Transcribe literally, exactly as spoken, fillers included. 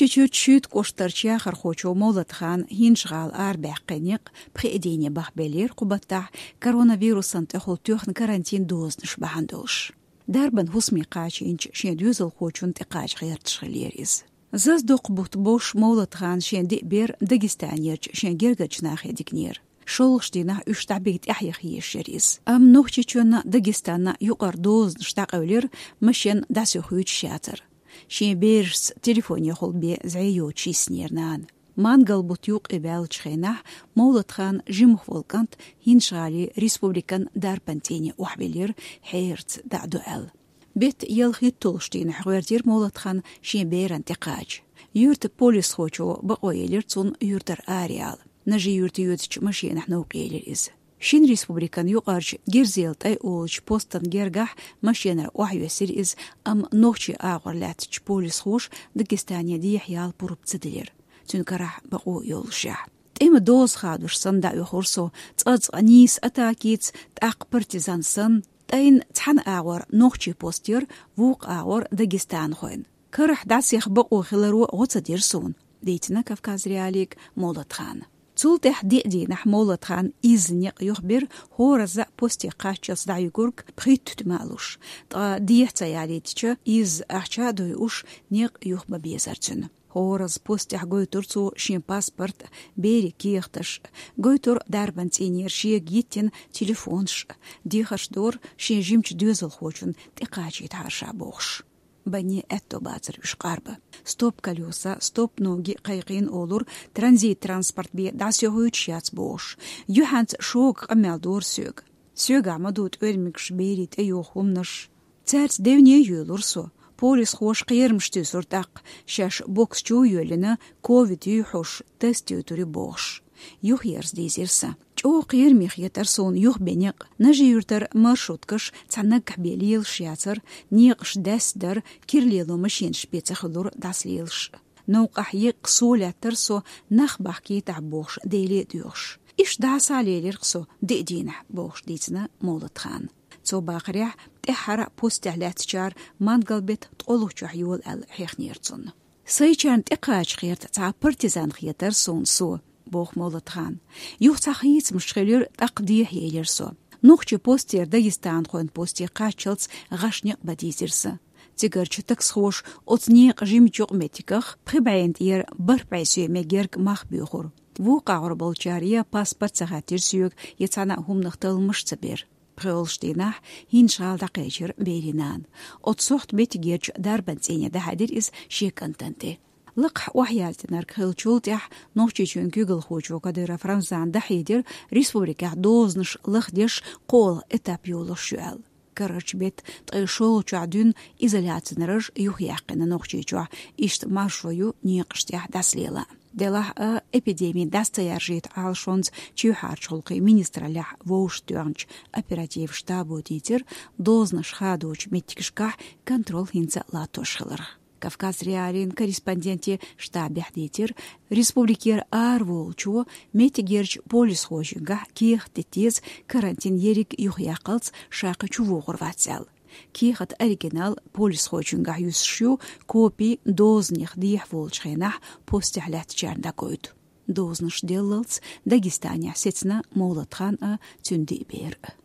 Нохчийчуьра Шуьйта кӀоштарчу яхархочо Мовлатхана ХӀинжа-ГӀала арабаьккхина некъ пхи дийне бахабелира кху баттахь, коронавирусан тӀехула тоьхна карантин дозанаш бахьана долуш. Дарбан хӀусаме кхачийначу шен доьзалхочунна тӀекхача гӀерташ хиллера иза. Зазадоккху бутт болуш Мовлатхана шен диъ бер Дагестанерчу шен гергарчу нахе дигнера. ШолгӀачу дийнахь уьш дӀабига тӀаьхьа яха езаш яра иза. Амма Нохчийчоьнна, Дагестанна юкъара дозанаш дӀакъевлира, машен дӀасаохуьйтуш яцара. Шен берашца телефонехула бен зӀе йоцуш йиснера нана. Мангал-бутт юккъе ваьллачу хенахь Мовлатхана жимах волу кӀант ХӀинжа-ГӀалин республикан дарбан цӀийне охьавелира, хьераца дӀа а до аьлла. Беттан ялхитталгӀачу дийнахь гӀоьртира Мовлатхан шен берана тӀекхача. Юьртан полисхочо бакъо елира цунна юьртара араяла. Нажи-Юьрта йоьдучу машенахь новкъа елира иза. Шина республикан юкъарчу Гирзел-ТӀай олучу постан гергахь машенара охьайоьссира иза, амма нохчийн агӀор лаьттачу полисхоша Дагестане дехьаяла пурба ца делира, цуьнан карахь бакъо йоллушехь. ТӀеман доза хадош санна дӀаоьхура со, цкъа-цкъа нийса атакица, тӀаккха партизан санна, ТӀайна цхьана агӀор нохчийн пост яра, вукху агӀор дагестанхойн. Карахь дӀасаеха бакъо хиларо гӀо ца дира суна, дийцина Кавказ.Реалиига Мовлатхана. Цул тӀаьхьа диъ дийнахь Мовлатхана изза некъ юхабира, хӀоразза а посте кхаччалц дӀаюьгург пхийтта туьма а луш. Ткъа дехьа ца ялийтича, изза ахча а дойуш, некъ юха ма безара цуьнан. ХӀоразза постехь гойтура цо шен паспорт, берийн кехаташ, гойтура дарбан цӀийнера шега йиттина телефонаш, дехарш дора шен жимачу доьзалхочунна тӀекхачийтахьара ша бохуш. Банне аьтто бацара уьш къарбан. «Стоп колеса, стоп ноги» кхайкхийна олура, транзит-транспорт бен дӀасаохуьйтуш яц бохуш. Юьхьанца шога къамел дора соьга. Соьгахь ма ду тӀоьрмигаш, берийн тӀейоху хӀуманаш. Цаьрца девне а йоьлура со. Полисхоша кхерамаш туьйсура тӀаккха, шаьш бокс чу а йоьллина, ковид юй хьожуш, тест йойтур ю бохуш. Юхаерза дийзира сан. ЧӀогӀа кхераме хетара суна юхабен некъ. Нажи-Юьртара маршруткаш цхьа наггахь бен лелаш яцара, некъаш даьсса дара, кира лело машенаш бен ца хуьлура дӀасалелаш. Новкъахь еккъа со лаьттара со, нах бахкийтахь бохуш, Деле а доьхуш. Иштта дӀасалелира-кх со диъ дийнахь, бохуш дийцина Мовлатхана. Цо бахарехь, тӀаьххьара постехь лаьттачара мангал-беттан ткъолгӀачохь йола аьлла хьехнера цунна. Сайчарна тӀекхача гӀерта цхьа партизан хетара суна со, боху Мовлатхана. Юха цхьа хийцамаш хилира, тӀаккха дехьа елира со. Нохчийн постера дагестанхойн посте кхаччалц гӀаш некъ бан дийзира сан. Цигарчу таксхоша оцу некъан жимачу юкъаметтигах пхи бӀенна тӀера бархӀ бӀе сом герга мах боьхура. Вукху агӀор болчара я паспорт ца хаттира соьга, я цхьана а хӀуманах талламаш ца бира. ПхоьалгӀачу дийнахь ХӀинжа-ГӀала дӀакхечира берийн нана. Оцу сохьта меттигерчу дарбан цӀийне дӀахьаьдира иза шен кӀантана тӀе. Лакхахь охьаяздинарг хиллачул тӀаьхьа Нохчийчоьнан куьйгалхочо Кадыров Рамзана дӀахьедира, республикехь дозанаш лахдеш кхоалгӀа этап йолуш ю аьлла. Карарчу беттан ткъе шолгӀачохь дуьйна изоляцин раж юхаяьккхина Нохчийчохь, иштта маршо ю некъаш тӀехь дӀасалела. Делахь а, эпидеми дӀаса ца яржийта Ӏалашонца чоьхьарчу гӀуллакхийн министраллехь вовшахтоьхначу оперативан штабо дийцира, дозанаш хадочу меттигашкахь контроль хӀинца а латтош хиларх. Кавказ.Реалиин корреспонденте штабехь дийцира, республикера араволучо меттигерчу полисхочуьнгахь кехат дита деза, карантин ерриг юхаяккхалц ша кхин чувогӀур вац аьлла. Кехатан оригинал полисхочуьнгахь юьсуш ю, копи дозанех дехьа волчу хенахь постехь лаьттачарна дӀагойту. Дозанаш деллалц Дагестанехь сецна Мовлатхан а, цуьнан диъ бер а.